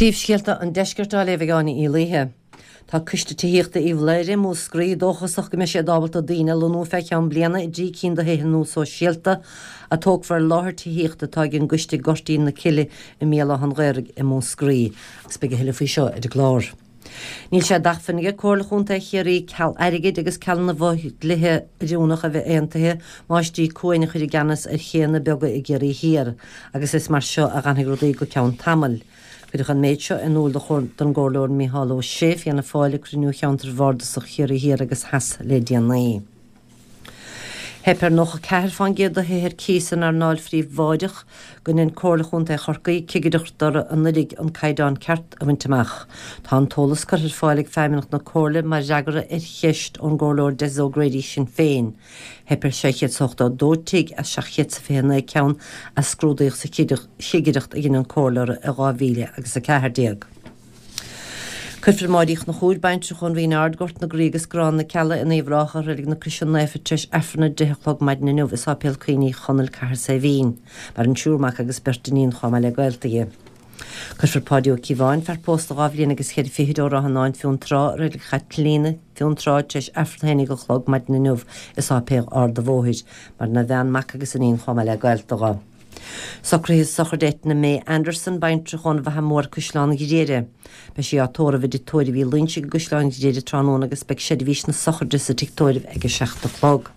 Príomhscéalta an Deiscirt á léamh ag Áine Uí Laoithe. Tá Coiste Tithíochta Uíbh Laoghaire i Múscraí dóchasach go mbeidh siad ábalta daoine a lonnú fé cheann bliana i dtrí cinn de thithe nua sóisialta a tógfar ar láthair tithíochta atá ag an gcoiste i nGoirtín na Cille i mBéal Átha an Ghaorthaidh i Múscraí. Agus beidh a thuilleadh faoi seo ar an gclár. Níl sé d'acmhainn aige Comhairle Chontae Chiarraí ceal airgid agus ceal na bhfo-dhlíthe oiriúnach a bheith aontaithe Máistrí Cuain a chur i gceannas ar chéanna beaga i gCiarraí Thiar agus is mar seo a dh'fhanfaidh rudaí go ceann tamaill. Cuireadh an méid seo in iúl don gComhairleoir Micheál Ó Sé, Fianna Fáil, ag cruinniú Cheantar Bhardasach Chiarraí Thiar agus Theas le déanaí. Theip ar 94 fán gcéad de thithe ar cíos san earnáil phríobháideach go ndein Comhairle Chontae Chorcaí cigireacht orthu anuraidh an caighdeán ceart a bhaint amach. Tá an t-eolas curtha ar fáil ag Feidhmeannacht na Comhairle mar fhreagra ar cheist ón gComhairleoir Des O'Grady, Sinn Féin. Theip ar 682 tigh as 729 ceann a scrúdaíodh sa chigireacht a dhein an Comhairle orthu i 2014. Cuirfear Máire Uí Chonchúir, baintreach ón Rinn Ard, Gort na Graí agus Grán na Cealla in Uíbh Ráthach i Reilig na Croise Naofa tar éis Aifreann a 10 a chlog maidin inniu i Sáipéal Cuimhní Chonaill, Cathair Saidhbhín. Maireann triúr mac agus beirt iníon chomh maith le gaolta dhi. Cuirfear Páidí Ó Cíobháin, fear pósta dhá bhliain agus cheithre fichid ó Ráth an Fháin, Fionntrá, i Reilig Chaitlíona, Fionntrá, tar éis Aifreann a 11 a chlog maidin inniu i Sáipéal Ard a' Bhóthair. Maireann a bhean, mac agus iníon chomh maith le gaolta dho. Socruithe sochraide Etna May Anderson, baintreach ón bhFaiche Mhór, Caisleán Ghriaire. Beidh sí á tórramh i dTigh Tórraimh Uí Loingsigh i gCaisleán Ghriaire tráthnóna agus beidh seirbhís na sochraide sa tigh tórraimh ag 7 a chlog.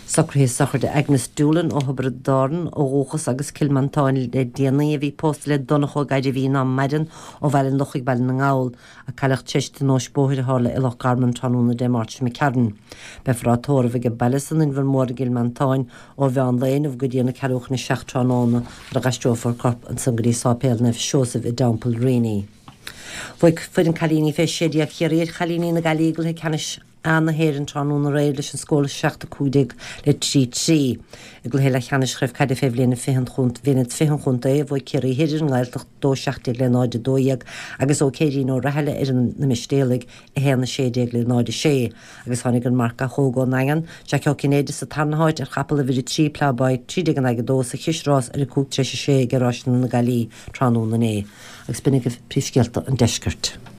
Socruithe sochraide Agnes Doolan ó Thiobraid Árann ó dhúchas agus Cill Mhantáin le déanaí a bhí pósta le Donncha Ó Gairbhí ná maireann ó Bhaile an Lochaigh, Baile na nGall. a cailleadh tar éis tionóisc bóthair a tharla i Loch Garman tráthnóna Dé Máirt seo imigh tharainn. Beifear á tórramh age baile san Inbhear Mór i gCill Mhantáin ó mheán lae inniu go dtí an ceathrú chun a 7 tráthnóna nuair a dh'aistreofar a corp ansan go dtí Sáipéal Naomh Seosamh i dTeampall Reaney. Bhuaigh foireann cailíní fé 16 Chiarraí ar chailíní na Gaillimhe i gcluiche ceannais A na hÉireann tráthnóna aréir leis an scór 7 15 le 3 3. I gcluiche leathcheannais Chraobh Caide fé bhliain 20 an bhliain 20 an chontae, bhuaigh Ciarraí Thoir ar an nGaeltacht 2 17 le 0 12 agus ó Céirín Ó Rathaille ar na Mistéalaigh 1 16 le 0 6 agus tháinig an marcach óg ón nDaingean, Jack Ó Cinnéide sa tarna háit ar chapall uimhir 3 Ploughboy 13 in aghaidh 2 sa chisearás ar 5 tar éis 6 ag Ráiseanna na Gaillimhe tráthnóna inné. Agus b'in agaibh príomhscéalta an deiscirt.